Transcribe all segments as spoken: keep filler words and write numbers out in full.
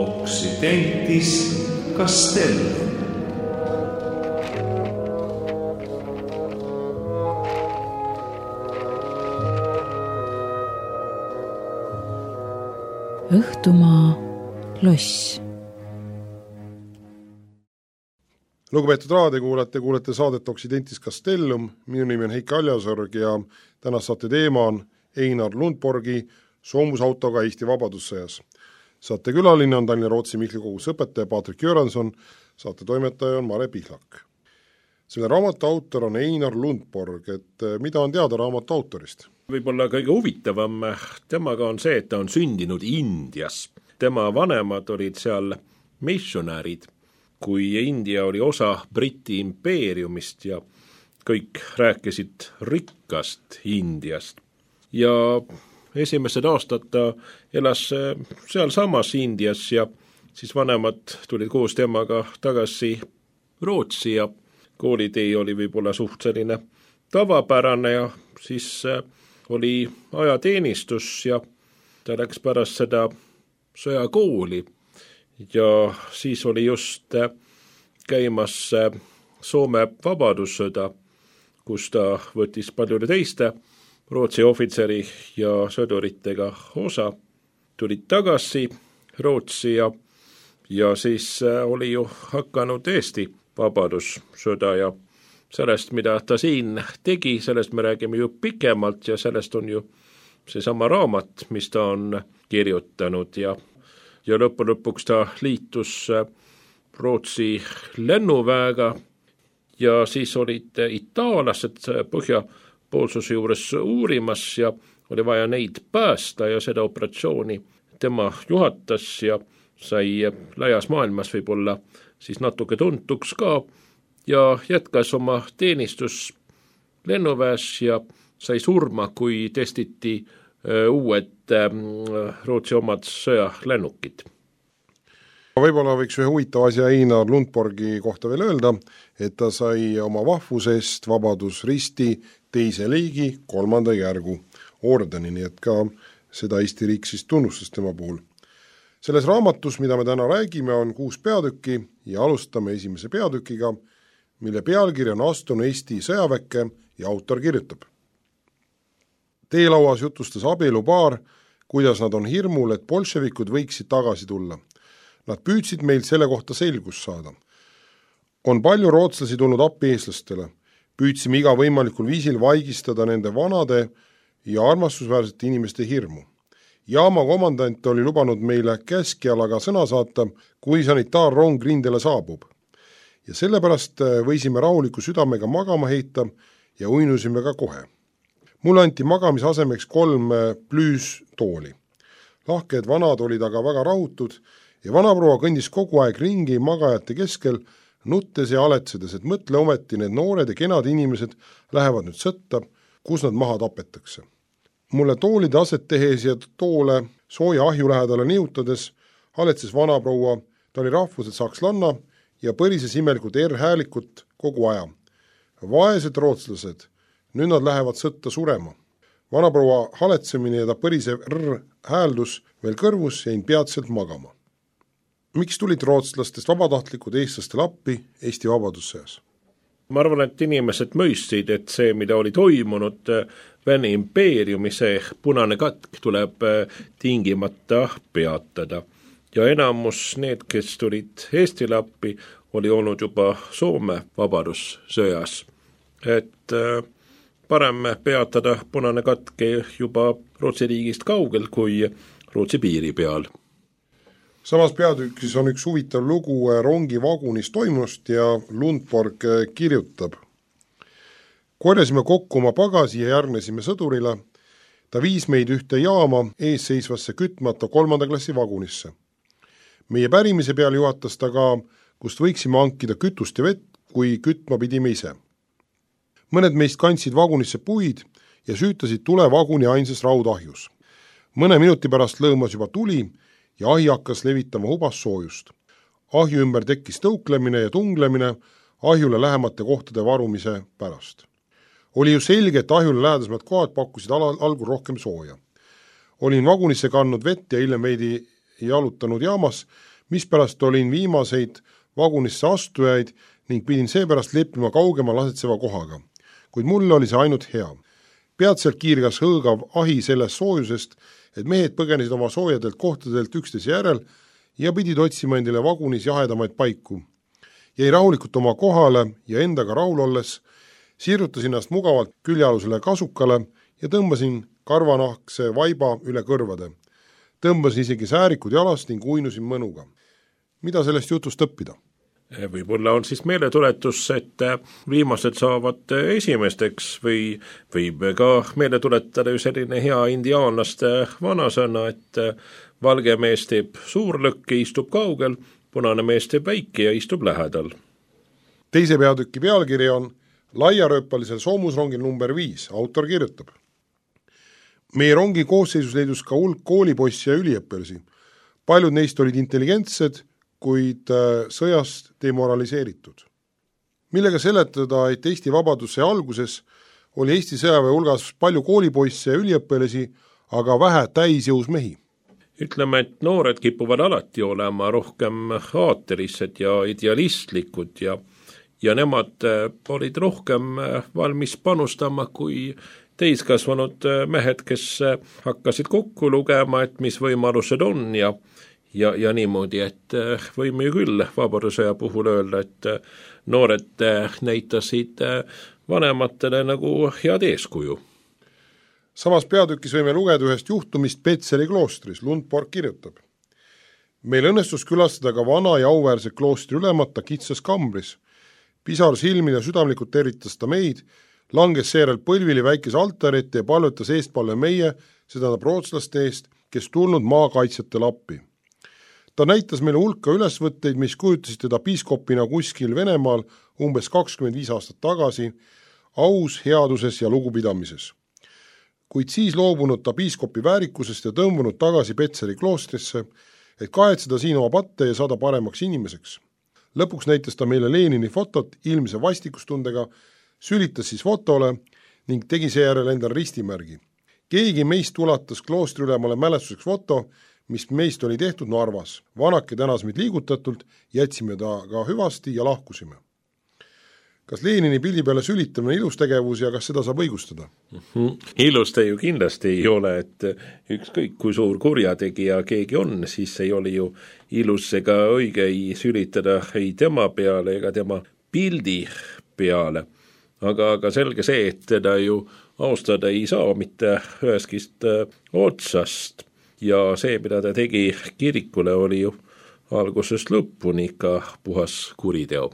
Occidentis Castellum. Õhtumaa loss. Lugupeetud raadiokuulajad, kuulete saadet Occidentis Castellum. Minu nimi on Heiki Aljasorg ja tänast saate teema on Einar Lundborgi soomusautoga Eesti vabadussõjas. Saate külaline on Tallinna Rootsi Mihkli koguse õpetaja Patrik Göransson, saate toimetaja on Mare Pihlak. Selle raamatu autor on Einar Lundborg, et mida on teada raamatu autorist? Võib-olla kõige huvitavam temaga on see, et ta on sündinud Indias. Tema vanemad olid seal missionärid, kui India oli osa Briti impeeriumist ja kõik rääkisid rikkast Indiast. Ja esimesed aastad ta elas seal samas Indias ja siis vanemad tulid koos temaga tagasi Rootsi ja koolitee oli võib-olla suht selline tavapärane ja siis oli ajateenistus ja ta läks pärast seda sõjakooli ja siis oli just käimas Soome vabadussõda, kus ta võttis paljude teiste Rootsi ohvitseri ja sõduritega osa, tulid tagasi Rootsi ja, ja siis oli ju hakanud Eesti vabadussõda ja sellest, mida ta siin tegi, sellest me räägime ju pikemalt ja sellest on ju seesama raamat, mis ta on kirjutanud ja, ja lõppu lõpuks ta liitus Rootsi lennuväega ja siis olid itaallased põhjapoolsuse juures uurimas ja oli vaja neid päästa ja seda operatsiooni tema juhatas ja sai laias maailmas võib-olla siis natuke tuntuks ka ja jätkas oma teenistus lennuväes ja sai surma, kui testiti uued Rootsi omad sõjalennukid. Võib-olla võiks ühe huvitava asja Einar Lundborgi kohta veel öelda, et ta sai oma vahvusest vabadusristi teise liigi kolmanda järgu ordeni, nii et ka seda Eesti riik siis tunnustas tema puhul. Selles raamatus, mida me täna räägime, on kuus peatükki ja alustame esimese peatükiga, mille pealkiri on Astun Eesti sõjaväkke ja autor kirjutab. Teelauas jutustas abielupaar, kuidas nad on hirmul, et bolševikud võiksid tagasi tulla. Nad püüdsid meilt selle kohta selgust saada. On palju rootslasi tulnud appi eestlastele. Püüdsime iga võimalikul viisil vaigistada nende vanade ja armastusväärsete inimeste hirmu. Jaama komandant oli lubanud meile käskjalaga sõna saata, kui sanitaarrong rindele saabub. Ja sellepärast võisime rahuliku südamega magama heita ja uinusime ka kohe. Mulle anti magamise asemeks kolm plüüstooli. Lahked vanad olid aga väga rahutud ja vanaproua kõndis kogu aeg ringi magajate keskel, nuttes ja aletsedes, et mõtle ometi need noored ja kenad inimesed lähevad nüüd sõtta, kus nad maha tapetakse. Mulle toolide aset tehes ja toole sooja ahju lähedale niutades aletses vanaproua, ta oli rahvuselt sakslanna ja põrises imelikult R-häälikut kogu aja. Vaesed rootslased, nüüd nad lähevad sõtta surema. Vanaproua haletsemine ja ta põrisev R-hääldus veel kõrvus jäin peatselt magama. Miks tulid rootslastest vabatahtlikud eestlastele appi Eesti vabadussõjas? Ma arvan, et inimesed mõistsid, et see, mida oli toimunud Vene impeeriumi, see punane katk tuleb tingimata peatada. Ja enamus need, kes tulid Eestile appi, oli olnud juba Soome vabadussõjas. Et parem peatada punane katke juba Rootsi riigist kaugel kui Rootsi piiri peal. Samas peatükis on üks huvitav lugu rongi vagunis toimust ja Lundborg kirjutab. Korjasime kokku oma pagasi ja järgnesime sõdurile. Ta viis meid ühte jaama eesseisvasse kütmata kolmanda klassi vagunisse. Meie pärimise peal juhatas ta ka, kust võiksime hankida kütust ja vett, kui kütma pidime ise. Mõned meist kandsid vagunisse puid ja süütasid tule vaguni ainsas raudahjus. Mõne minuti pärast lõõmas juba tuli ja ahi hakkas levitama hubas soojust. Ahju ümber tekkis tõuklemine ja tunglemine ahjule lähemate kohtade varumise pärast. Oli ju selge, et ahjule lähedasemad kohad pakkusid al- algul rohkem sooja. Olin vagunisse kandnud vett ja hiljem veidi jalutanud jaamas, mispärast olin viimaseid vagunisse astujaid ning pidin seepärast leppima kaugema lasetseva kohaga. Kuid mulle oli see ainult hea. Peatselt kiirgas hõõgav ahi sellest soojusest, et mehed põgenesid oma soojadelt kohtadelt üksteise järel ja pidid otsima endile vagunis jahedamaid paiku. Jäi rahulikult oma kohale ja endaga rahul olles siirutasin ennast mugavalt küljealusele kasukale ja tõmbasin karvanahkse vaiba üle kõrvade. Tõmbasin isegi säärikud jalast ning uinusin mõnuga. Mida sellest jutust õppida? Võib-olla on siis meeletuletus, et viimased saavad esimesteks või võib ka meele tuletada ju selline hea indiaanlaste vanasõna, et valge mees teeb suurlõkke, istub kaugel, punane mees teeb väike ja istub lähedal. Teise peatüki pealkiri on Laiarööpalisel soomusrongil number viis, autor kirjutab. Meie rongi koosseisus leidus ka hulk koolipoissi ja üliõppelasi. Paljud neist olid intelligentsed, kuid sõjast demoraliseeritud. Millega seletada, et Eesti vabaduse alguses oli Eesti sõjaväe hulgas palju koolipoisse ja üliõppelasi, aga vähe täisjõus mehi? Ütleme, et noored kipuvad alati olema rohkem aatelised ja idealistlikud ja, ja nemad olid rohkem valmis panustama kui täiskasvanud mehed, kes hakkasid kokku lugema, et mis võimalused on ja Ja, ja niimoodi, et võime ju küll vabadussõja puhul öelda, et noored näitasid vanematele nagu head eeskuju. Samas peatükis võime lugeda ühest juhtumist Petseri kloostris, Lundborg kirjutab. Meil õnnestus külastada ka vana ja auväärse kloostri ülemata kitsas kambris. Pisar silmil ja südamlikult tervitas ta meid, langes seejärel põlvili väikese altarite ja palvetas eestpalle meie, seda rootslaste eest, kes tulnud maakaitsjatele appi. Ta näitas meile hulka ülesvõtteid, mis kujutasid teda piiskopina kuskil Venemaal umbes kakskümmend viis aastat tagasi, aus, headuses ja lugupidamises. Kuid siis loobunud ta piiskopi väärikusest ja tõmbunud tagasi Petseri kloostrisse, et kahetseda siin oma patte ja saada paremaks inimeseks. Lõpuks näitas ta meile Lenini fotot ilmse vastikustundega, sülitas siis fotole ning tegi seejärel endal ristimärgi. Keegi meist ulatas kloostri ülemale mälestuseks foto, mis meist oli tehtud Narvas. Vanake tänas meid liigutatult, jätsime ta ka hüvasti ja lahkusime. Kas Lenini pildi peale sülitamine ilus tegevus ja kas seda saab õigustada? Mm-hmm. Ilus ta ju kindlasti ei ole, et ükskõik kui suur kurjategija keegi on, siis ei ole ju ilus ega õige ei sülitada ei tema peale ega tema pildi peale. Aga, aga selge see, et teda ju austada ei saa mitte üheskist otsast. Ja see, mida ta tegi kirikule, oli ju algusest lõpuni ikka puhas kuriteo.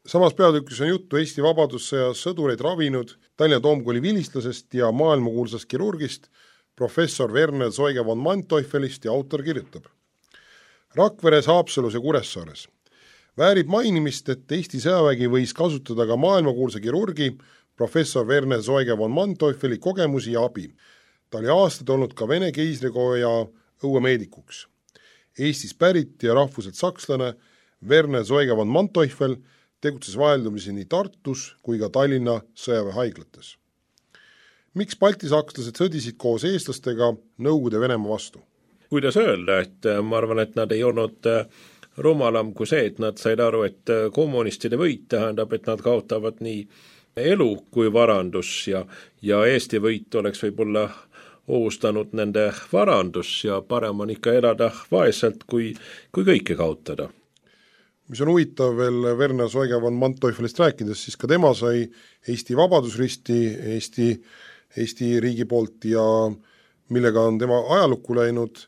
Samas peatükis on juttu Eesti vabadussõjas sõdureid ravinud Tallinna Toomkooli vilistlasest ja maailmakuulsast kirurgist, professor Werner Zeuge von Manteufelist ja autor kirjutab. Rakveres, Haapsalus ja Kuressaares. Väärib mainimist, et Eesti sõjavägi võis kasutada ka maailmakuulsa kirurgi, professor Werner Zeuge von Manteufeli kogemusi ja abi. Ta oli aastad olnud ka Vene keisrikoja õuemeedikuks. Eestis pärit ja rahvuselt sakslane Werner Zeuge von Manteufel tegutses vaheldumisi nii Tartus kui ka Tallinna sõjaväehaiglates. Miks baltisakslased sõdisid koos eestlastega Nõukogude Venemaa vastu? Kuidas öelda, et ma arvan, et nad ei olnud rumalam kui see, et nad said aru, et kommunistide võit tähendab, et nad kaotavad nii elu kui varandus ja, ja Eesti võit oleks võib-olla ohustanud nende varandus ja parem on ikka elada vaeselt, kui, kui kõike kaotada. Mis on huvitav veel Werner Zeuge von Manteufelist rääkides, siis ka tema sai Eesti vabadusristi Eesti, Eesti riigi poolt ja millega on tema ajalukku läinud,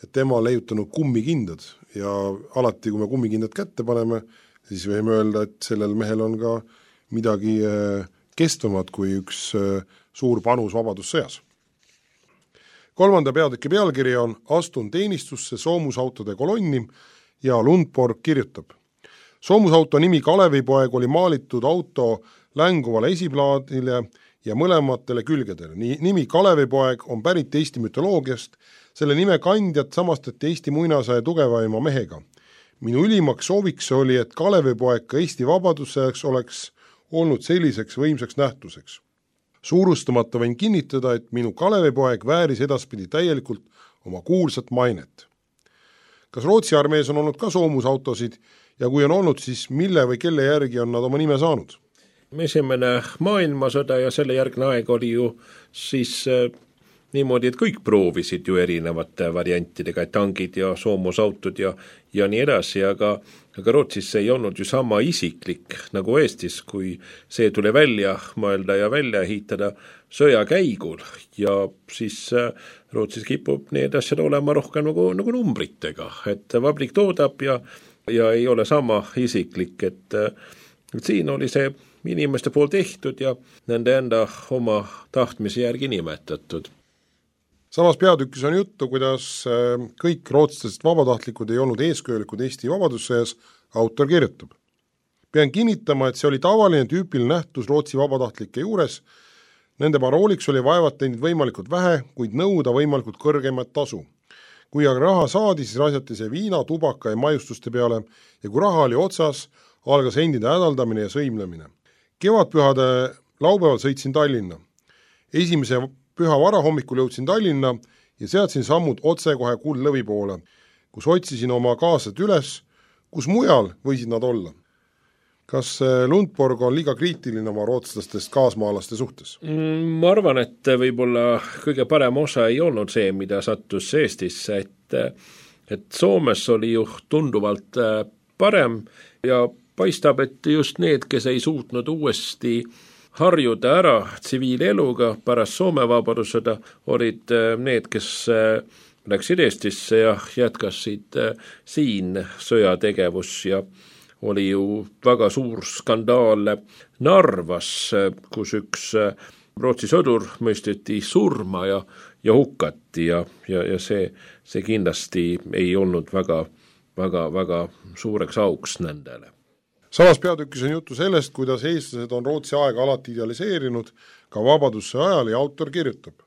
et tema on leiutanud kummikindad ja alati, kui me kummikindad kätte paneme, siis võime öelda, et sellel mehel on ka midagi kestvamad kui üks suur panus vabadussõjas. Kolmanda peatüki pealkiri on Astun teenistusse soomusautode kolonni ja Lundborg kirjutab. Soomusauto nimi Kalevipoeg oli maalitud auto länguvale esiplaadile ja mõlematele külgedele. Nimi Kalevipoeg on pärit Eesti mütoloogiast, selle nime kandjat samastati Eesti muinasaja tugevaima mehega. Minu ülimaks sooviks oli, et Kalevipoeg ka Eesti vabadussõjaks oleks olnud selliseks võimsaks nähtuseks. Suurustamata võin kinnitada, et minu Kalevipoeg vääris edaspidi täielikult oma kuulsat mainet. Kas Rootsi armees on olnud ka soomusautosid ja kui on olnud, siis mille või kelle järgi on nad oma nime saanud? Esimene maailmasõda ja selle järgne aeg oli ju siis äh, niimoodi, et kõik proovisid ju erinevate variantidega, et tangid ja soomusautod ja, ja nii edasi, aga, aga Rootsis ei olnud ju sama isiklik nagu Eestis, kui see tuli välja mõelda ja välja ehitada sõja käigul ja siis äh, Rootsis kipub need asjad olema rohkem nagu, nagu numbritega, et vabrik toodab ja, ja ei ole sama isiklik, et, et siin oli see inimeste pool tehtud ja nende enda oma tahtmise järgi nimetatud. Samas peatükis on juttu, kuidas kõik rootslased vabatahtlikud ei olnud eeskujulikud Eesti vabadussõjas, autor kirjutab. Pean kinnitama, et see oli tavaline tüüpiline nähtus Rootsi vabatahtlike juures. Nende parooliks oli vaevat teinud võimalikult vähe, kuid nõuda võimalikult kõrgemat tasu. Kui aga raha saadi, siis rasjati see viina, tubaka ja majustuste peale ja kui raha oli otsas, algas endide hädaldamine ja sõimlemine. Kevadpühade laupäeval sõitsin Tallinna. Esimese püha varahommikul jõudsin Tallinna ja seadsin sammud otse kohe Kuldlõvi poole, kus otsisin oma kaaslased üles, kus mujal võisid nad olla. Kas Lundborg on liiga kriitiline oma rootslastest kaasmaalaste suhtes? Ma arvan, et võib-olla kõige parem osa ei olnud see, mida sattus Eestisse, et, et Soomes oli ju tunduvalt parem ja paistab, et just need, kes ei suutnud uuesti harjuda ära tsiviileluga pärast Soome vabadussõda, olid need, kes läksid Eestisse ja jätkasid siin sõjategevus ja oli ju väga suur skandaal Narvas, kus üks Rootsi sõdur mõisteti surma ja, ja hukkati ja, ja, ja see, see kindlasti ei olnud väga, väga, väga suureks auks nendele. Samas peatükis on juttu sellest, kuidas eestlased on Rootsi aega alati idealiseerinud ka vabadusse ajal ja autor kirjutab.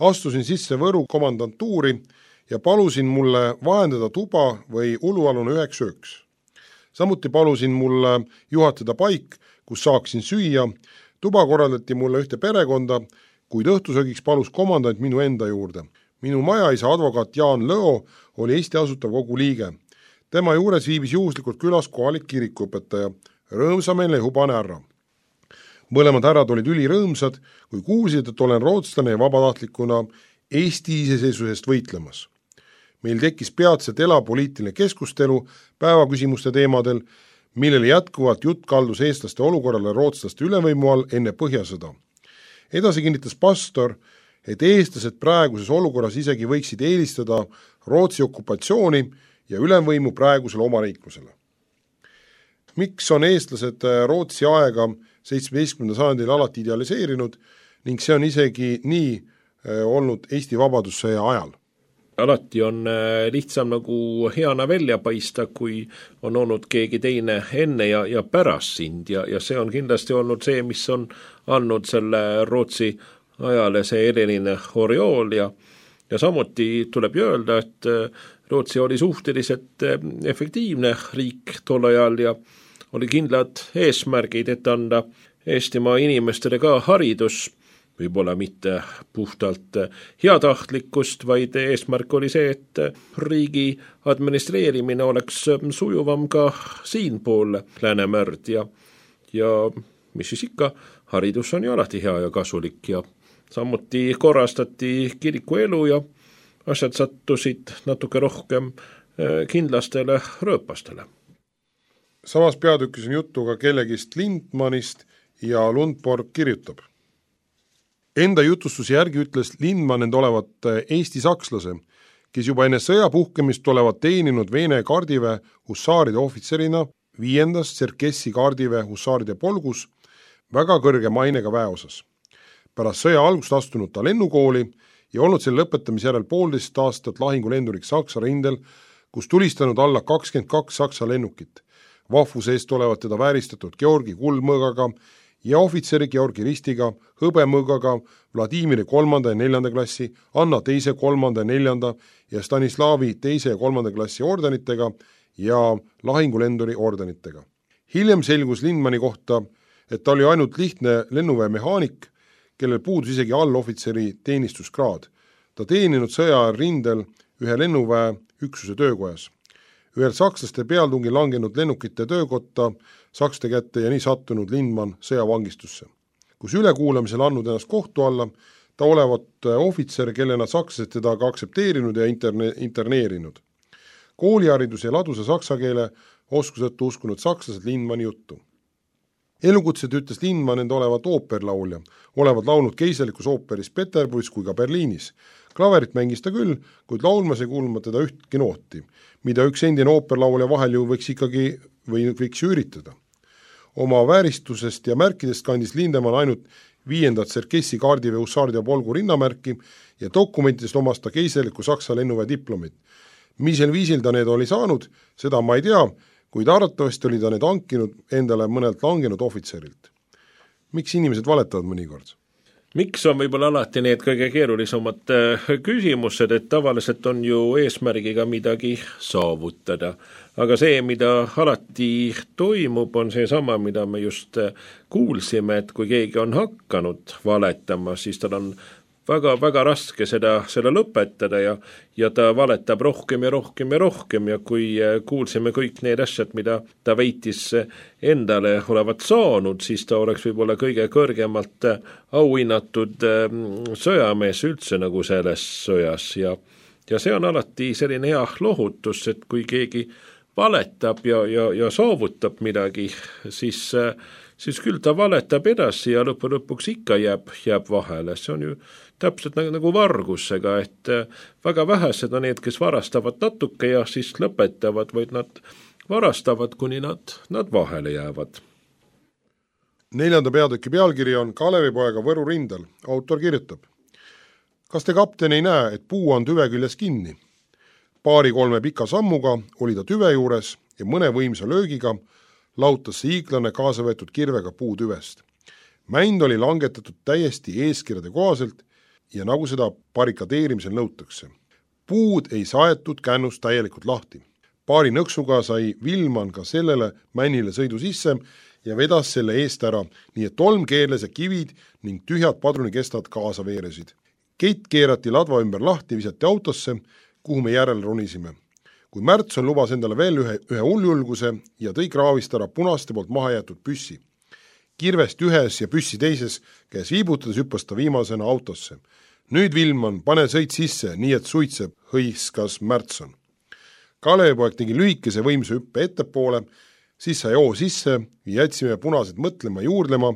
Astusin sisse Võru komandantuuri ja palusin mulle vahendada tuba või ulualune üheks ööks. Samuti palusin mulle juhatada paik, kus saaksin süüa. Tuba korraldati mulle ühte perekonda, kuid õhtusöögiks palus komandant minu enda juurde. Minu majaisa advokaat Jaan Lõo oli Eesti Asutav Kogu liige. Tema juures viibis juhuslikult külas kohalik kirikuõpetaja, rõõmsameelne ja hubane härra. Mõlemad härrad olid ülirõõmsad, kui kuulsid, et olen rootslane ja vabatahtlikuna Eesti iseseisvusest võitlemas. Meil tekkis peatselt elapoliitiline keskustelu päevaküsimuste teemadel, millele jätkuvalt jutt kaldus eestlaste olukorrale rootslaste ülevõimu all enne Põhjasõda. Edasi kinnitas pastor, et eestlased praeguses olukorras isegi võiksid eelistada Rootsi okupatsiooni ja ülemvõimu praegusele omariiklusele. Miks on eestlased Rootsi aega seitsmeteistkümnendal sajandil alati idealiseerinud ning see on isegi nii olnud Eesti vabadussõja ajal? Alati on lihtsam nagu heana välja paista, kui on olnud keegi teine enne ja, ja pärast sind ja, ja see on kindlasti olnud see, mis on andnud selle Rootsi ajale see eriline oriool ja, ja samuti tuleb öelda, et Rootsi oli suhteliselt efektiivne riik tol ajal ja oli kindlad eesmärgid, et anda Eestimaa inimestele ka haridus, võib-olla mitte puhtalt heatahtlikkust, vaid eesmärk oli see, et riigi administreerimine oleks sujuvam ka siinpool Läänemerd ja, ja mis siis ikka, haridus on ju alati hea ja kasulik ja samuti korrastati kiriku elu ja asjad sattusid natuke rohkem kindlastele rööpastele. Samas peatükis on juttu ka kellegist Lindmanist ja Lundborg kirjutab. Enda jutustus järgi ütles Lindman end olevat Eesti sakslase, kes juba enne sõja puhkemist olevat teeninud Vene kaardiväe hussaaride ohvitserina viiendas Tserkessi kaardiväe hussaaride polgus väga kõrge mainega väeosas. Pärast sõja algust astunud ta lennukooli ja olnud selle lõpetamise järel poolteist aastat lahingulenduriks Saksa rindel, kus tulistanud alla kakskümmend kaks Saksa lennukit. Vahvuse eest olevat teda vääristatud Georgi kuldmõõgaga ja ohvitseri Georgi ristiga, hõbemõõgaga, Vladimiri kolmanda ja neljanda klassi, Anna teise, kolmanda ja neljanda ja Stanislavi teise ja kolmanda klassi ordenitega ja lahingulenduri ordenitega. Hiljem selgus Lindmani kohta, et ta oli ainult lihtne lennuväe mehaanik, kellel puudus isegi allohvitseri teenistuskraad. Ta teeninud sõja rindel ühe lennuväe üksuse töökojas. Ühel sakslaste pealtungi langenud lennukite töökotta sakste kätte ja nii sattunud Lindman sõjavangistusse, kus ülekuulamisel andnud ennast kohtu alla, ta olevat ohvitser, kellena sakslased teda ka aktsepteerinud ja interne, interneerinud. Kooliharidus ja ladusa saksa keele oskusõttu uskunud sakslased Lindmani juttu. Elukutset ütles Lindman enda olevat ooperlaulja, olevat laulnud keiselikus ooperis Peterburis kui ka Berliinis. Klaverit mängis ta küll, kuid laulmas ei kuulma teda ühtki nooti, mida üks endine ooperlaulja vahel ju võiks ikkagi või võiks üritada. Oma vääristusest ja märkidest kandis Lindemann ainult viiendat Serkessi kaardivee Hussardia polgu rinnamärki ja dokumentidest omas ta keiseliku Saksa lennuväe diplomit. Misel viisil ta need oli saanud, seda ma ei tea, kuid arvatavasti oli ta need hankinud endale mõnelt langenud ohvitserilt. Miks inimesed valetavad mõnikord? Miks on võib-olla alati need kõige keerulisemad küsimused, et tavaliselt on ju eesmärgiga midagi saavutada. Aga see, mida alati toimub, on see sama, mida me just kuulsime, et kui keegi on hakanud valetama, siis tal on väga, väga raske seda, seda lõpetada ja, ja ta valetab rohkem ja rohkem ja rohkem ja kui kuulsime kõik need asjad, mida ta väitis endale olevat saanud, siis ta oleks võib-olla kõige kõrgemalt auhinnatud sõjamees üldse nagu selles sõjas ja, ja see on alati selline hea lohutus, et kui keegi valetab ja, ja, ja saavutab midagi, siis siis küll ta valetab edasi ja lõpu lõpuks ikka jääb, jääb vahele. See on ju täpselt nagu, nagu vargusega, et väga vähesed on need, kes varastavad natuke ja siis lõpetavad, vaid nad varastavad, kuni nad, nad vahele jäävad. Neljanda peatüki pealkiri on Kalevipoega Võru rindel. Autor kirjutab: kas te, kapten, ei näe, et puu on tüve küljes kinni? Paari-kolme pika sammuga oli ta tüve juures ja mõne võimsa löögiga lautas see hiiglane kaasa võetud kirvega puutüvest. Mänd oli langetatud täiesti eeskirjade kohaselt ja nagu seda barrikadeerimisel nõutakse. Puud ei saetud kännust täielikult lahti. Paari nõksuga sai Vilman ka sellele männile sõidu sisse ja vedas selle eest ära, nii et tolm keerles ja kivid ning tühjad padrunikestad kaasa veeresid. Kett keerati ladva ümber lahti, visati autosse, kuhu me järel ronisime. Kui Märtson lubas endale veel ühe, ühe hulljulguse ja tõi kraavist ära punaste poolt maha jäetud püssi. Kirvest ühes ja püssi teises käes viibutades hüppas ta viimasena autosse. Nüüd, Vilman, pane sõit sisse, nii et suitseb, hõiskas Märtson. Kalevipoeg tegi lühikese võimsa hüppe ettepoole, siis sai oo sisse ja jätsime punased mõtlema juurdlema,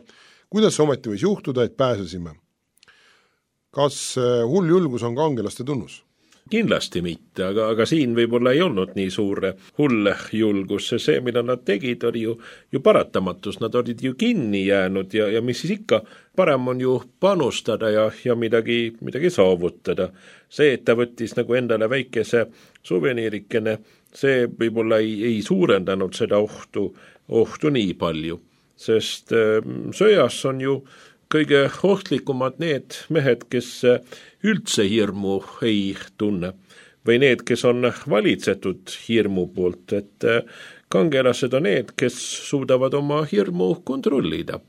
kuidas ometi võis juhtuda, et pääsesime. Kas hulljulgus on kangelaste tunnus? Kindlasti mitte, aga, aga siin võib-olla ei olnud nii suur hull julgus, see, mida nad tegid, oli ju, ju paratamatus, nad olid ju kinni jäänud ja, ja mis siis ikka, parem on ju panustada ja, ja midagi, midagi saavutada. See, et ta võttis nagu endale väikese suveniirikene, see võib-olla ei, ei suurendanud seda ohtu, ohtu nii palju, sest äh, sõjas on ju kõige ohtlikumad need mehed, kes üldse hirmu ei tunne või need, kes on valitsetud hirmu poolt, et kangelased on need, kes suudavad oma hirmu kontrollida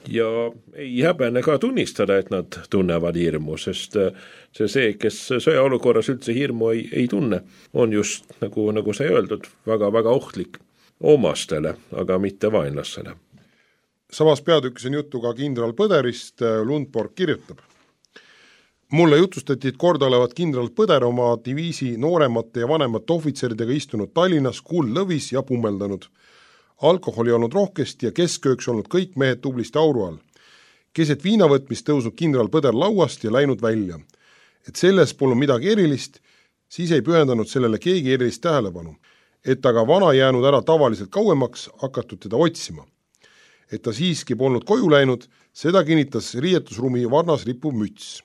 ja ei häbene ka tunnistada, et nad tunnevad hirmu, sest see, see kes sõjaolukorras üldse hirmu ei, ei tunne, on just, nagu, nagu sai öeldud, väga, väga ohtlik omastele, aga mitte vaenlasele. Samas peatükis on juttu ka kindral Põderist. Lundborg kirjutab: mulle jutustati, et kord olevat kindral Põder oma diviisi nooremate ja vanemate ohvitseridega istunud Tallinnas kuullõvis ja pummeldanud. Alkoholi olnud rohkesti ja keskööks olnud kõik mehed tublisti auru all. Keset viinavõtmist tõusnud kindral Põder lauast ja läinud välja. Et selles polnud midagi erilist, siis ei pühendanud sellele keegi erilist tähelepanu. Et aga vana jäänud ära tavaliselt kauemaks, hakatud teda otsima. Et ta siiski polnud koju läinud, seda kinnitas riietusruumi varnas rippuv müts.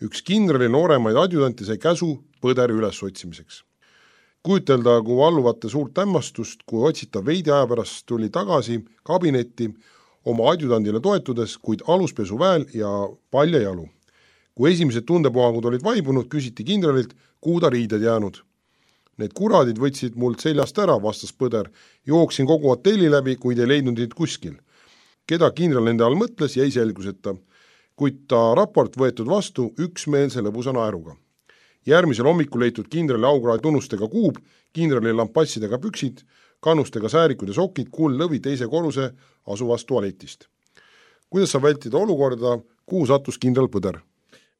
Üks kindrali nooremaid adjutanti sai käsu Põderi üles otsimiseks. Kujutelda, kui alluvate suurt hämmastust, kui otsitav veidi aja pärast tuli tagasi kabinetti oma adjutandile toetudes, kuid aluspesu väel ja palja jalu. Kui esimesed tundepuhangud olid vaibunud, küsiti kindralilt, kuhu ta riided jäänud. Need kuradid võtsid mult seljast ära, vastas Põder. Jooksin kogu hotelli läbi, kuid ei leidnud neid kuskil. Keda kindral nende all mõtles, jäi selguseta, kuid ta raport võetud vastu üksmeelse lõbusa naeruga. järgmisel hommikul leitud kindrali aukraadi tunnustega kuub, kindrali lampassidega püksid, kannustega säärikud ja sokid, kuullõvi teise korruse asuvast tualetist. Kuidas saab vältida olukorda, kuhu sattus kindral Põder?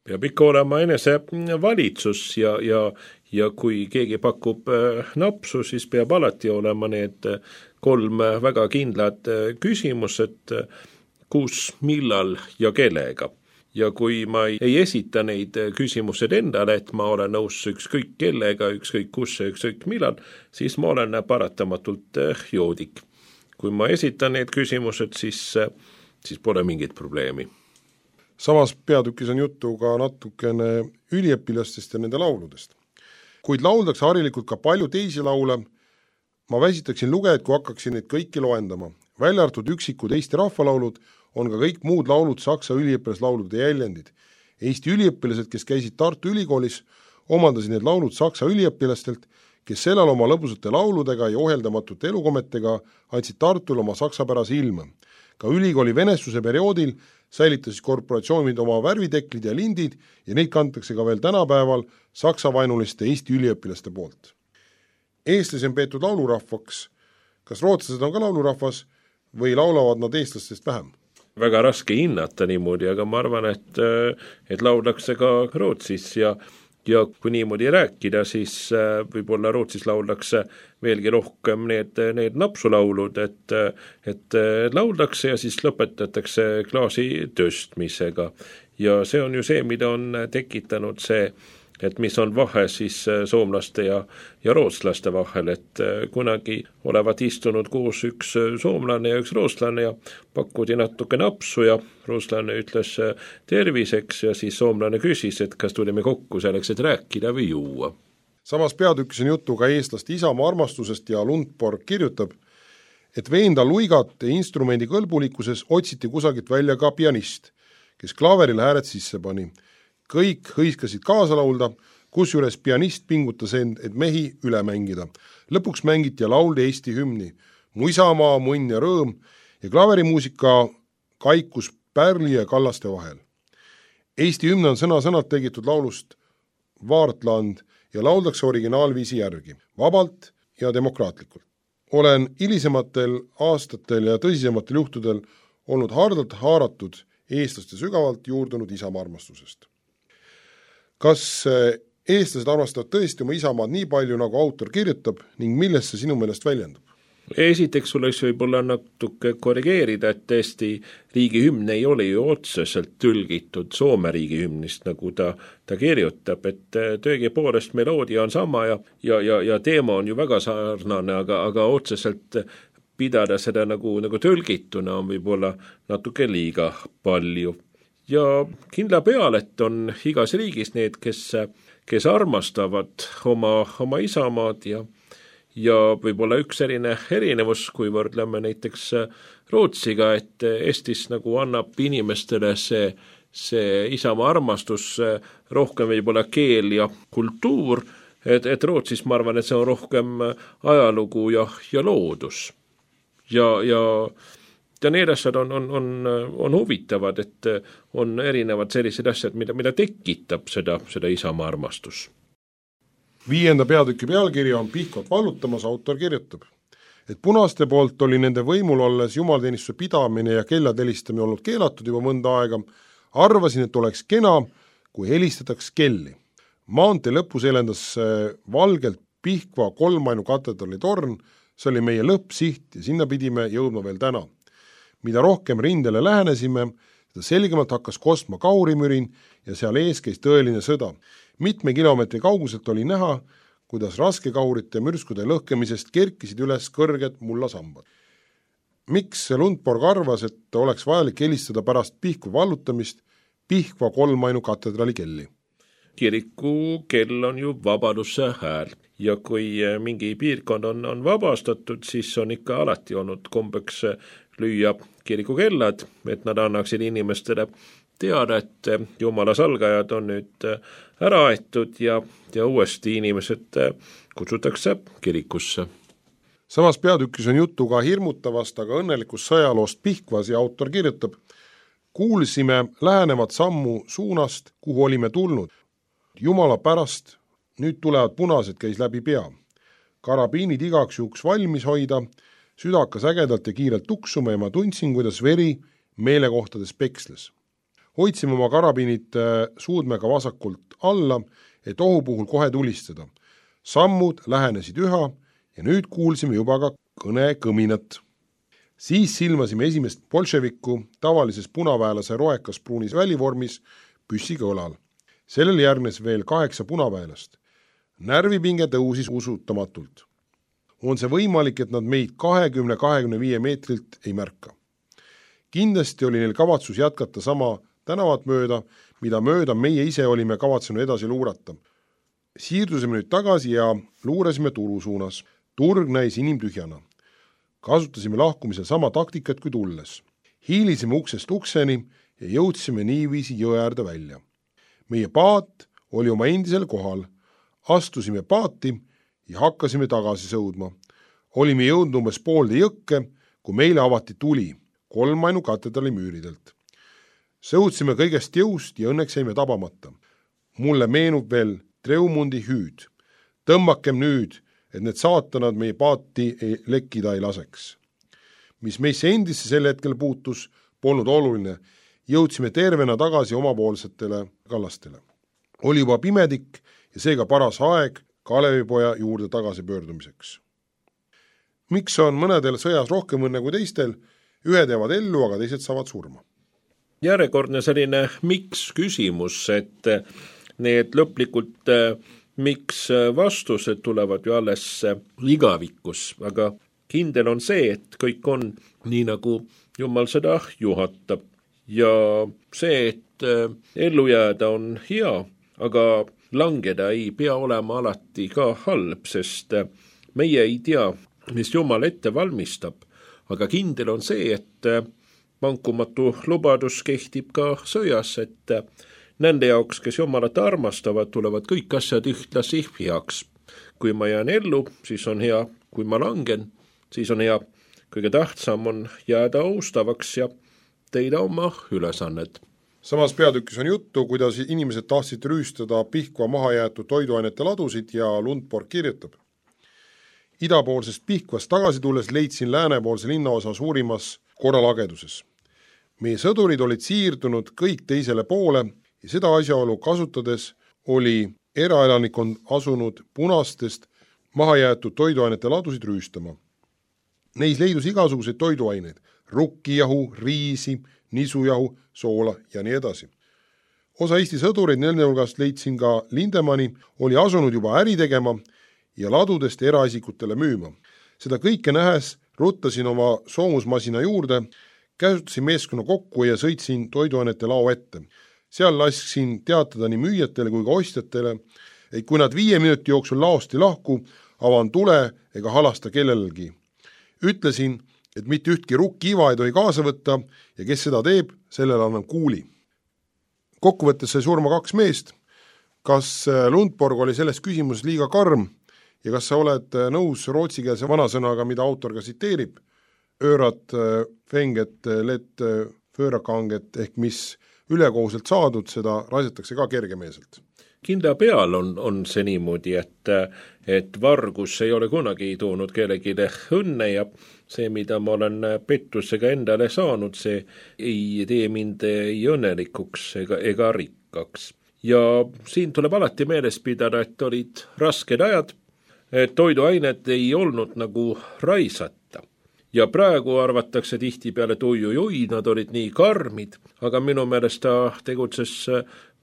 Peab ikka olema enese valitsus ja, ja, ja kui keegi pakub napsu, siis peab alati olema need kolm väga kindlad küsimused, kus, millal ja kellega. Ja kui ma ei esita neid küsimused endale, et ma olen nõus ükskõik kellega, ükskõik kus ja ükskõik millal, siis ma olen paratamatult joodik. Kui ma esitan need küsimused, siis, siis pole mingit probleemi. Samas peatükis on juttu ka natukene üliõpilastest ja nende lauludest. Kuid lauldakse harilikult ka palju teisi laule, ma väsitaksin lugejad, kui hakkaksin neid kõiki loendama. Välja arvatud üksikud Eesti rahvalaulud on ka kõik muud laulud Saksa üliõpilaslaulude jäljendid. Eesti üliõpilased, kes käisid Tartu ülikoolis, omandasid need laulud Saksa üliõpilastelt, kes sellel oma lõbusate lauludega ja ohjeldamatute elukometega andsid Tartul oma saksapärase ilma. Ka ülikooli venestuse perioodil säilitasid korporatsioonid oma värviteklid ja lindid ja neid kantakse ka veel tänapäeval saksavainuliste Eesti üliõpilaste poolt. Eestlasi on peetud laulurahvaks. Kas rootslased on ka laulurahvas või laulavad nad eestlastest vähem? Väga raske hinnata niimoodi, aga ma arvan, et, et lauldakse ka Rootsis ja, ja kui niimoodi rääkida, siis võib-olla Rootsis lauldakse veelgi rohkem need, need napsulaulud, et, et lauldakse ja siis lõpetatakse klaasi tõstmisega. Ja see on ju see, mida on tekitanud see, et mis on vahe siis soomlaste ja, ja rootslaste vahel, et kunagi olevat istunud koos üks soomlane ja üks rootslane ja pakkudi natuke napsu ja rootslane ütles terviseks ja siis soomlane küsis, et kas tulime kokku selleks, et rääkida või juua. Samas peatükis on juttu ka eestlaste isamaa armastusest ja Lundborg kirjutab, et veenda luigat instrumendi kõlbulikkuses otsiti kusagilt välja ka pianist, kes klaveril hääled sisse pani. Kõik hõiskasid kaasa laulda, kusjuures pianist pingutas end, et mehi üle mängida. Lõpuks mängiti ja lauldi Eesti hümni, Mu isamaa, munn ja rõõm ja klaverimuusika kaikus Pärli ja Kallaste vahel. Eesti hümn on sõna-sõnalt tegitud laulust Vaartland ja lauldakse originaalviisi järgi, vabalt ja demokraatlikult. Olen hilisematel aastatel ja tõsisematel juhtudel olnud hardalt haaratud eestlaste sügavalt juurdunud isamaa armastusest. Kas eestlased armastavad tõesti oma isamaad nii palju, nagu autor kirjutab ning millest see sinu meelest väljendub? Esiteks oleks võib-olla natuke korrigeerida, et Eesti riigihümn ei ole ju otseselt tõlgitud Soome riigihümnist, nagu ta, ta kirjutab, et tõegi poolest meloodia on sama ja, ja, ja, ja teema on ju väga sarnane, aga, aga otseselt pidada seda nagu, nagu tõlgituna on võib-olla natuke liiga palju. Ja kindla peal, et on igas riigis need, kes, kes armastavad oma, oma isamaad ja, ja võib-olla üks erine erinevus, kui võrdleme näiteks Rootsiga, et Eestis nagu annab inimestele see, see isamaa armastus rohkem võib-olla keel ja kultuur, et, et Rootsis ma arvan, et see on rohkem ajalugu ja, ja loodus. Ja, ja Ja need asjad on, on, on, on huvitavad, et on erinevad sellised asjad, mida, mida tekitab seda, seda isamaa armastus. Viienda peatüki pealkiri on Pihkvat vallutamas, autor kirjutab, et punaste poolt oli nende võimul olles jumalateenistuse pidamine ja kellad helistamine olnud keelatud juba mõnda aega, arvasin, et oleks kena, kui helistataks kelli. Maantee lõpus elendas valgelt Pihkva kolmainu katedrali torn, see oli meie lõppsiht ja sinna pidime jõudma veel täna. Mida rohkem rindele lähenesime, seda selgemalt hakkas kostma kaurimürin ja seal ees käis tõeline sõda. Mitme kilomeetri kauguselt oli näha, kuidas raskekaurite mürskude lõhkemisest kerkisid üles kõrged mullasambad. Miks Lundborg arvas, et oleks vajalik helistada pärast Pihkva vallutamist Pihkva kolmainu katedrali kelli? Kiriku kell on ju vabaduse hääl ja kui mingi piirkond on, on vabastatud, siis on ikka alati olnud kombeks lüüa kirikukellad, et nad annaksid inimestele teada, et Jumala salgajad on nüüd ära aetud ja, ja uuesti inimesed kutsutakse kirikusse. Samas peatükis on juttu ka hirmutavast, aga õnnelikust sõjaloost Pihkvas ja autor kirjutab, kuulsime lähenevat sammu suunast, kuhu olime tulnud. jumala pärast, nüüd tulevad punased, käis läbi pea. Karabiinid igaks juhuks valmis hoida, süda hakkas ägedalt ja kiirelt tuksuma ja ma tundsin, kuidas veri meelekohtades peksles. Hoidsime oma karabiinid suudmega vasakult alla, et ohu puhul kohe tulistada. Sammud lähenesid üha ja nüüd kuulsime juba ka kõne kõminat. Siis silmasime esimest bolševikku tavalises punaväelase roekas pruunis välivormis püssiga õlal. Sellel järgnes veel kaheksa punaväelast. Närvipinge tõusis usutamatult. On see võimalik, et nad meid kahekümne kahekümne viie meetrilt ei märka. Kindlasti oli neil kavatsus jätkata sama tänavat mööda, mida mööda meie ise olime kavatsenud edasi luurata. Siirdusime nüüd tagasi ja luurasime turu suunas. Turg näis inimtühjana. Kasutasime lahkumisel sama taktikat kui tulles. Hiilisime uksest ukseni ja jõudsime niiviisi jõe äärde välja. Meie paat oli oma endisel kohal. Astusime paati ja hakkasime tagasi sõudma. Olime jõudnud umbes poolde jõkke, kui meile avati tuli, kolmainu katedrali müüridelt. Sõudsime kõigest jõust ja õnneks jäime tabamata. Mulle meenub veel Treumundi hüüd. Tõmbakem nüüd, et need saatanad meie paati ei lekkida ei laseks. Mis meisse endisse sel hetkel puutus, polnud oluline. Jõudsime tervena tagasi omapoolsetele kallastele. Oli juba pimedik ja seega paras aeg Kalevipoja juurde tagasi pöördumiseks. Miks on mõnedel sõjas rohkem õnne kui teistel? Ühed jäävad ellu, aga teised saavad surma. Järjekordne selline miks küsimus, et need lõplikult miks vastused tulevad ju alles igavikus, aga kindel on see, et kõik on nii, nagu Jumal seda juhatab. Ja see, et ellu jääda on hea, aga langeda ei pea olema alati ka halb, sest meie ei tea, mis Jumal ette valmistab, aga kindel on see, et vankumatu lubadus kehtib ka sõjas, et nende jaoks, kes Jumalat armastavad, tulevad kõik asjad ühtlasi heaks. Kui ma jään ellu, siis on hea, kui ma langen, siis on hea. Kõige tähtsam on jääda austavaks ja teida oma ülesannet. Samas peatükis on juttu, kuidas inimesed tahtsid rüüstada Pihkva mahajäetud toiduainete ladusid ja Lundborg kirjutab. Idapoolsest Pihkvast tagasi tulles leidsin läänepoolse linnaosa suurimas korralageduses. Meie sõdurid olid siirdunud kõik teisele poole ja seda asjaolu kasutades oli eraelanikond asunud punastest mahajäetud toiduainete ladusid rüüstama. Neis leidus igasuguseid toiduaineid, rukkijahu, riisi, nisujahu, soola ja nii edasi. Osa Eesti sõdureid nende hulgast leidsin ka Lindemani, oli asunud juba äri tegema ja ladudest eraisikutele müüma. Seda kõike nähes ruttasin oma soomusmasina juurde, käsutasin meeskonna kokku ja sõitsin toiduainete lao ette. Seal lasksin teatada nii müüjatele kui ka ostjatele, et kui nad viie minuti jooksul laost ei lahku, avan tule ega halasta kellelgi. Ütlesin, et mitte ühtki rukkiiva ei tohi kaasa võtta ja kes seda teeb, sellele annan kuuli. Kokkuvõttes sai surma kaks meest. Kas Lundborg oli selles küsimuses liiga karm ja kas sa oled nõus rootsikeelse vanasõnaga, mida autor ka siteerib? Öörat, fenget, let, föörakanget ehk mis ülekohuselt saadud, seda raisatakse ka kergemeeselt. Kindla peal on, on see niimoodi, et, et vargus ei ole kunagi toonud kellegile õnne ja see, mida ma olen pettusega endale saanud, see ei tee mind ei õnnelikuks ega, ega rikkaks. Ja siin tuleb alati meeles pidada, et olid rasked ajad, et toiduained ei olnud nagu raisata. Ja praegu arvatakse tihti peale, et oi-oi-oi, nad olid nii karmid, aga minu meelest ta tegutses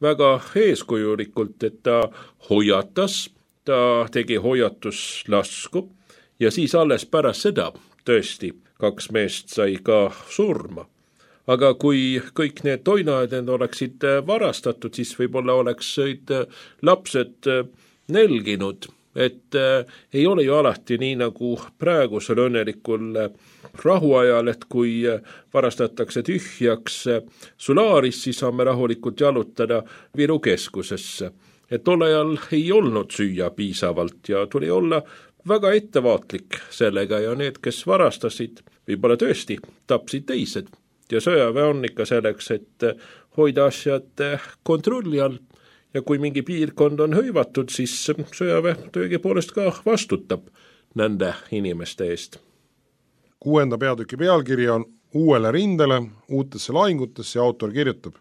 väga eeskujulikult, et ta hoiatas, ta tegi hoiatuslasku ja siis alles pärast seda tõesti kaks meest sai ka surma. Aga kui kõik need toinained oleksid varastatud, siis võib-olla oleks lapsed nelginud. Et äh, ei ole ju alati nii nagu praegusel õnnelikul äh, rahuajal, et kui äh, varastatakse tühjaks äh, Sulaaris, siis saame rahulikult jalutada Viru keskusesse. Et tol ajal ei olnud süüa piisavalt ja tuli olla väga ettevaatlik sellega ja need, kes varastasid, võib-olla tõesti tapsid teised. Ja sõjaväe on ikka selleks, et hoida asjad kontrolli all ja kui mingi piirkond on hõivatud, siis sõjaväe tõegi poolest ka vastutab nende inimeste eest. Kuuenda peatüki pealkiri on Uuele rindele, uutesse lahingutesse ja autor kirjutab.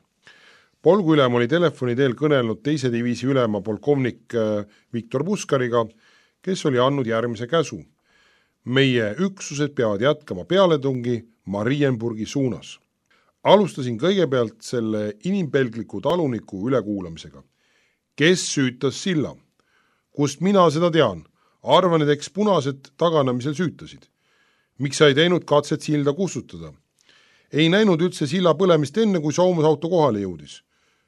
Polgu ülem oli telefoni teel kõnelnud teise diviisi ülema polkovnik Viktor Puskariga, kes oli andnud järgmise käsu. Meie üksused peavad jätkama pealetungi Marienburgi suunas. Alustasin kõigepealt selle inimpelgliku taluniku ülekuulamisega. Kes süütas silla? Kust mina seda tean? Arvan, et eks punased taganamisel süütasid. Miks sa ei teinud katset silda kustutada? Ei näinud üldse silla põlemist enne, kui soomusauto kohale jõudis.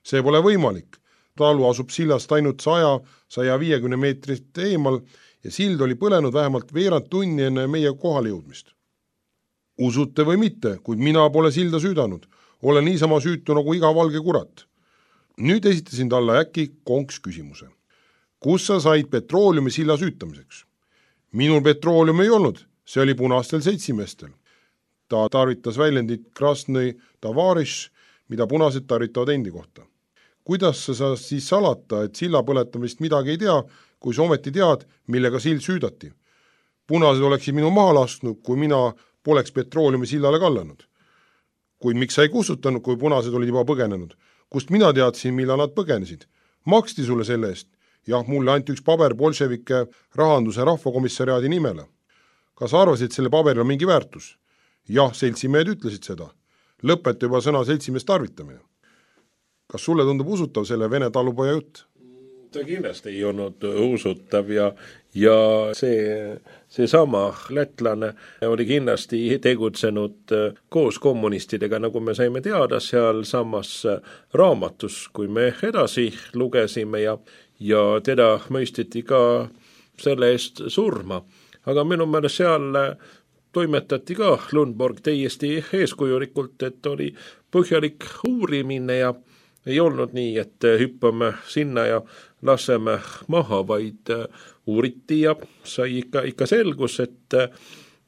See pole võimalik. Talu asub sillast ainult saja, saja viiekümne meetrist eemal ja sild oli põlenud vähemalt veerand tunni enne meie kohale jõudmist. Usute või mitte, kuid mina pole silda süüdanud. Olen niisama süütu nagu iga valge kurat. Nüüd esitasin talle äkki konks küsimuse. Kus sa said petrooliumi silla süütamiseks? Minul petrooliumi ei olnud, see oli punastel seitsimestel. Ta tarvitas väljendit Krasnõi Tavariš, mida punased tarvitavad endi kohta. Kuidas sa sa siis salata, et silla põletamist midagi ei tea, kui sa ometi tead, millega sild süüdati? Punased oleksid minu maha lasknud, kui mina poleks petrooliumi sillale kallanud. Kuid miks sa ei kustutanud, kui punased olid juba põgenenud? Kust mina teadsin, millal nad põgenesid? Maksti sulle selle eest? Jah, mulle anti üks paber bolševike rahanduse rahvakomissariaadi nimele. Kas arvasid, et selle paberil on mingi väärtus? Jah, seltsimehed ütlesid seda. Lõpeta juba sõna seltsimeest tarvitamine. Kas sulle tundub usutav selle vene talupoja jutt? Ta kindlasti ei olnud usutav ja, ja see, see sama lätlane oli kindlasti tegutsenud koos kommunistidega, nagu me saime teada seal samas raamatus, kui me edasi lugesime ja, ja teda mõistiti ka selle eest surma. Aga minu meelest seal toimetati ka Lundborg täiesti eeskujulikult, et oli põhjalik uurimine ja ei olnud nii, et hüppame sinna ja laseme maha, vaid uuriti ja sai ikka, ikka selgus, et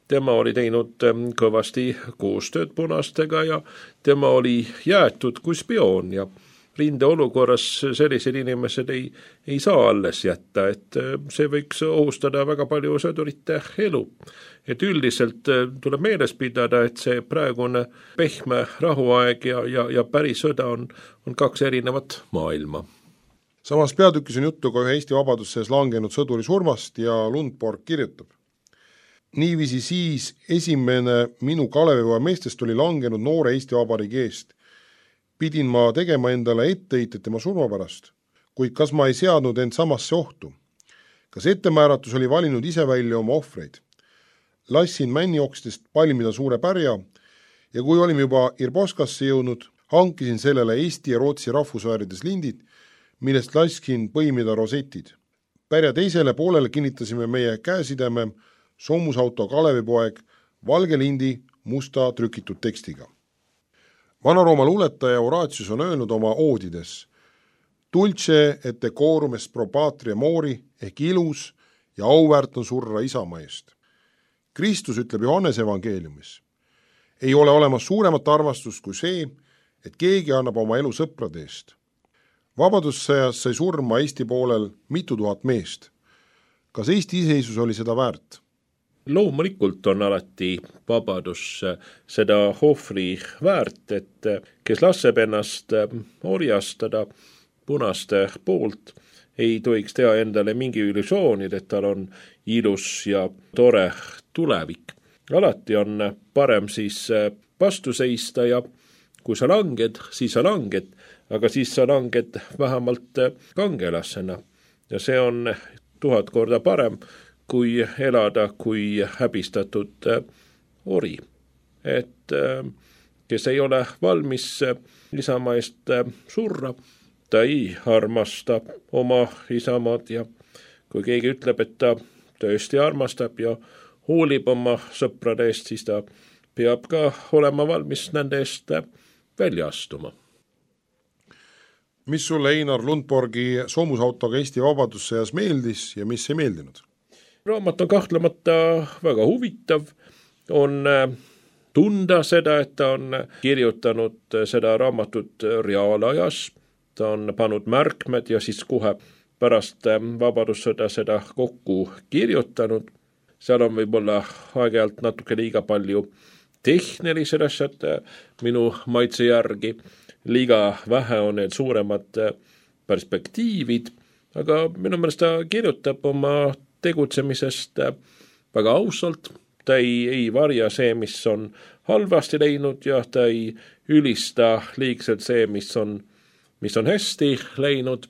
tema oli teinud kõvasti koostööd punastega ja tema oli jäetud kui spioon ja rinde olukorras sellised inimesed ei, ei saa alles jätta, et see võiks ohustada väga palju sõdurite elu. Et üldiselt tuleb meeles pidada, et see praegune pehme rahuaeg ja, ja, ja päris sõda on, on kaks erinevat maailma. Samas peatükis on juttu ka ühe Eesti vabadussees langenud sõduri surmast ja Lundborg kirjutab. Niiviisi siis esimene minu Kalevipoja meestest oli langenud noore Eesti Vabariigi eest. Pidin ma tegema endale etteheited tema surma pärast, kuid kas ma ei seadnud end samasse ohtu? Kas ettemääratus oli valinud ise välja oma ohvreid? Lassin männiokstest palmida suure pärja ja kui olime juba Irboskasse jõudnud, hankisin sellele Eesti ja Rootsi rahvusväärides lindid, millest laskin põimida rosetid. Pärja teisele poolele kinnitasime meie käesideme soomusauto Kalevipoeg valge lindi musta trükitud tekstiga. Vana-Rooma luuletaja Horatius on öelnud oma oodides Dulce et decorum est pro patria mori ehk ilus ja auväärt on surra isamaa eest. Kristus ütleb Johannese evangeeliumis. Ei ole olemas suuremat armastust kui see, et keegi annab oma elu sõprade eest. Vabadussõjas sai surma Eesti poolel mitu tuhat meest. Kas Eesti iseisus oli seda väärt? Loomulikult on alati vabadus seda ohvri väärt, et kes laseb ennast orjastada punaste poolt, ei tohiks teha endale mingi illusioonid, et tal on ilus ja tore tulevik. Alati on parem siis vastu seista ja kui sa langed, siis sa langed, aga siis sa langed vähemalt kangelasena. Ja see on tuhat korda parem, kui elada kui häbistatud ori. Et kes ei ole valmis isamaa eest surra, ta ei armasta oma isamaad ja kui keegi ütleb, et ta tõesti armastab ja hoolib oma sõprade eest, siis ta peab ka olema valmis nende eest välja astuma. Mis sulle Einar Lundborgi soomusautoga Eesti vabadussõjas meeldis ja mis ei meeldinud? Raamat on kahtlemata väga huvitav, on tunda seda, et ta on kirjutanud seda raamatut reaalajas ta on pannud märkmed ja siis kohe pärast vabadussõda seda kokku kirjutanud. Seal on võib-olla aeg-ajalt natuke liiga palju tehnilised asjad minu maitse järgi, liiga vähe on need suuremad perspektiivid, aga minu meelest ta kirjutab oma tegutsemisest väga ausalt, ta ei, ei varja see, mis on halvasti läinud ja ta ei ülista liigselt see, mis on, mis on hästi läinud.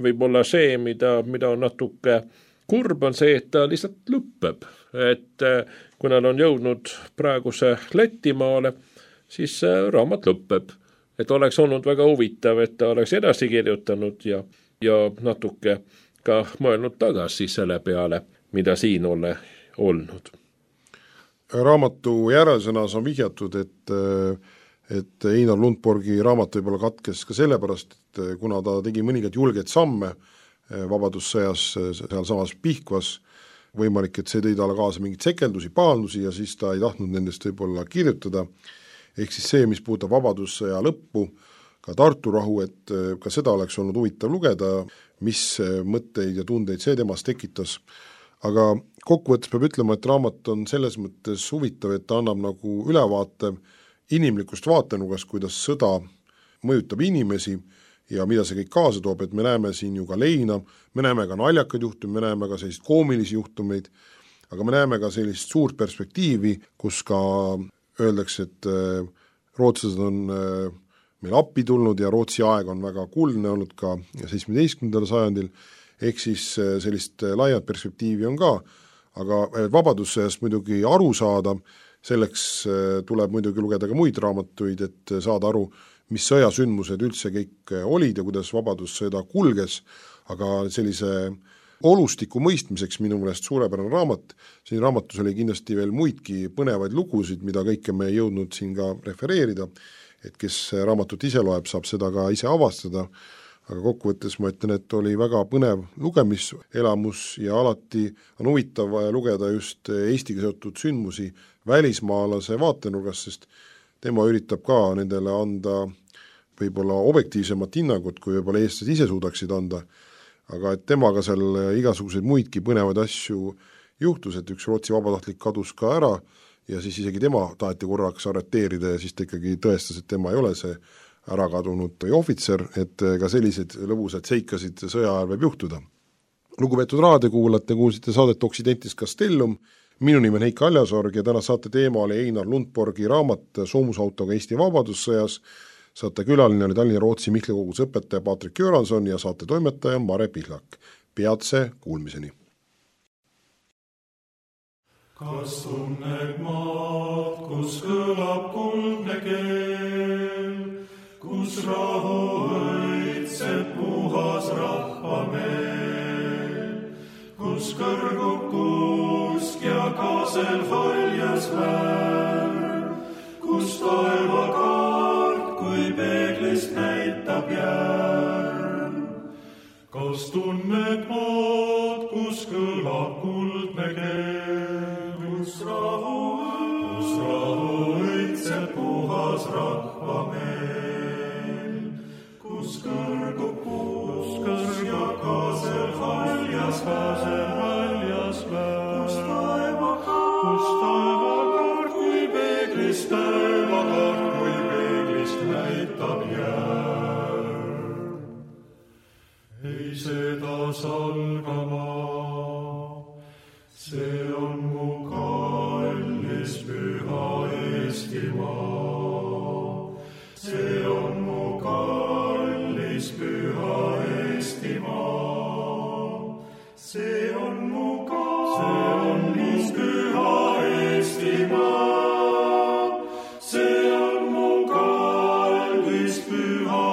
Võib-olla see, mida, mida on natuke kurb, on see, et ta lihtsalt lõppeb. Et kui nad on jõudnud praeguse Lätimaale, siis raamat lõppeb. Et oleks olnud väga huvitav, et ta oleks edasi kirjutanud ja, ja natuke ka mõelnud tagasi selle peale, mida siin ole olnud. Raamatu järelsõnas on vihjatud, et, et Einar Lundborgi raamat võib-olla katkes ka sellepärast, et kuna ta tegi mõningad julged samme vabadussõjas seal samas Pihkvas, võimalik, et see tõi talle kaasa mingid sekeldusi, pahandusi ja siis ta ei tahtnud nendest võib-olla kirjutada. Ehk siis see, mis puudutab vabadussõja lõppu, ka Tartu rahu, et ka seda oleks olnud huvitav lugeda, mis mõtteid ja tundeid see temast tekitas. Aga kokkuvõttes peab ütlema, et raamat on selles mõttes huvitav, et ta annab nagu ülevaate inimlikust vaatenugast, kuidas sõda mõjutab inimesi ja mida see kõik kaasa toob, et me näeme siin ju ka leina, me näeme ka naljakaid juhtumeid, me näeme ka sellist koomilisi juhtumeid, aga me näeme ka sellist suurt perspektiivi, kus ka öeldakse, et rootslased on meil appi tulnud ja Rootsi aeg on väga kuldne olnud ka seitsmeteistkümnendal sajandil, ehk siis sellist laiat perspektiivi on ka, aga vabadussõjast muidugi aru saada, selleks tuleb muidugi lugeda ka muid raamatuid, et saada aru, mis sõjasündmused üldse kõik olid ja kuidas vabadussõda kulges, aga sellise olustiku mõistmiseks minu meelest suurepärane raamat, siin raamatus oli kindlasti veel muidki põnevaid lugusid, mida kõike me ei jõudnud siin ka refereerida, et kes raamatut ise loeb, saab seda ka ise avastada, aga kokkuvõttes ma ütlen, et oli väga põnev lugemiselamus ja alati on huvitav lugeda just Eestiga seotud sündmusi välismaalase vaatenurgast, sest tema üritab ka nendele anda võib-olla objektiivsemat hinnangut, kui võib-olla eestlased ise suudaksid anda, aga et temaga seal igasuguseid muidki põnevaid asju juhtus, et üks Rootsi vabatahtlik kadus ka ära ja siis isegi tema taheti korraks arreteerida ja siis ta ikkagi tõestas, et tema ei ole see ära kadunud ohvitser, et ka sellised lõbusad seikasid sõja ajal võib juhtuda. Lugupeetud raadiokuulajate, kuulsite saadet Occidentis Castellum, minu nimi on Heiki Aljasorg ja täna saate teema oli Einar Lundborgi raamat Soomusautoga Eesti vabadussõjas. Saate külaline oli Tallinna Rootsi Mihkli kogus õpetaja Patrik Göranson ja saate toimetaja Mare Pihlak. Peatse kuulmiseni. Kas tunned maad, kus kõlab kuldne keel, kus rahu õitseb puhas rahvameel, kus kõrgub kuusk ja kaasel haljas värv, kus taevakaart kui peeglist näitab järv. Kas tunned maad, kus kõlab kuldne keel, kus rahu, kus rahu õitseb puhas rahvameel, kus kõrgub kuusk ja kaasel haljas värv, kus taevakaart kui peeglist taevakaart kui peeglist näitab järv. Ei seda salgama, see on mu kallis püha Eestimaa. See on mu kallis püha Eestimaa. See on mu kallis püha Eestimaa. See on mu kallis püha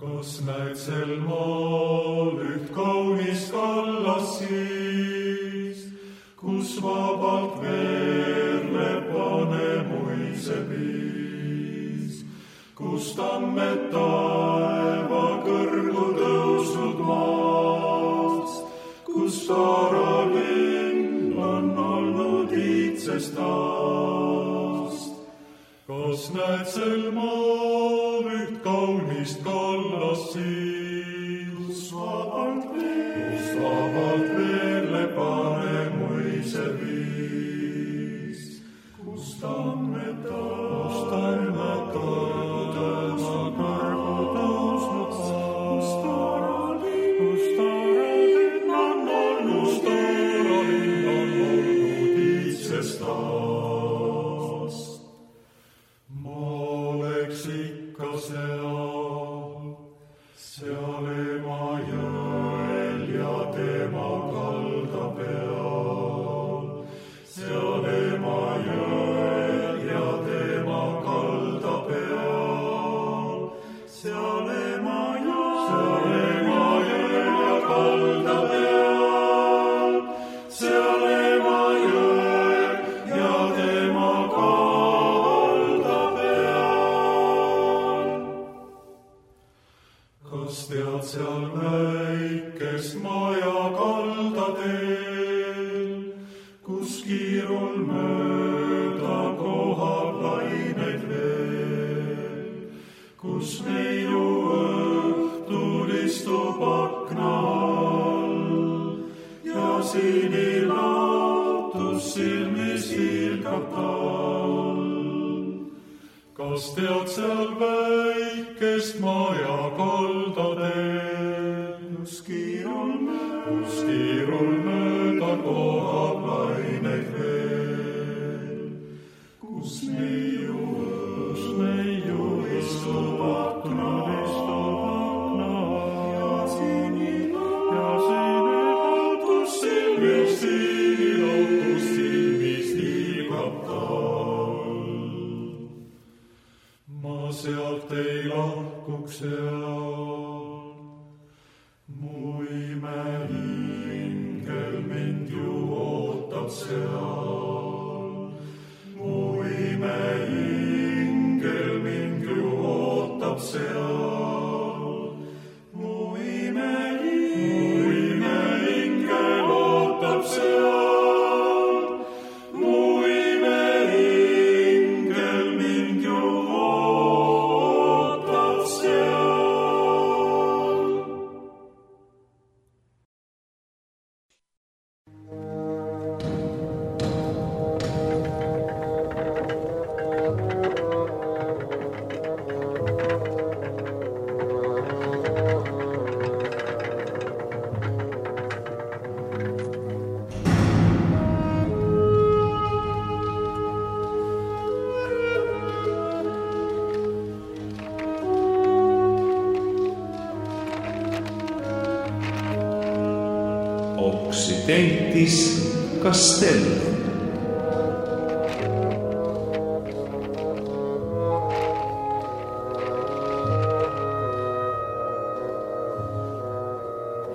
Kas näed sel maal üht kaunist kallast siis, kus vabalt veerleb Vanemuise piis, kus tammed taeva kõrgu tõusnud maast, kus Taaralinn on olnud iidsest aast. kas näed sel maal üht kaunist kallast siis, kus vabalt veerle pane muise viis, kus tammed tammad tõusnud, kõrgu tõusnud, kus taaralinn on olnud, taaralinn on olnud iitsest aast. Ma oleks ikka seal, seal ema jõel ja tema kalda peal, seal ema jõel ja tema kalda peal, seal ema jõel ja kalda peal, seal ema jõel ja tema kalda peal. Kas tead seal väikest maja kaldateel, kus kiirul mööda kohab laineid veel, kus neiu õhtul istub akna all ja sinilaotus silmis hiilgab tal. Kas tead seal väikest maja kaldateel, kus kiirul mööda kohab laineid veel, kus neiu istub akna ja sinilaotus silmis hiilgab tal. Ma sealt ei lahkuks seal, mu imeingel mind ju ootab seal, mu imeingel mind ju ootab seal, mu imeingel ootab seal, mu imeingel mind ju ootab seal. Occidentis Castellum.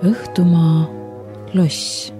Õhtumaa loss.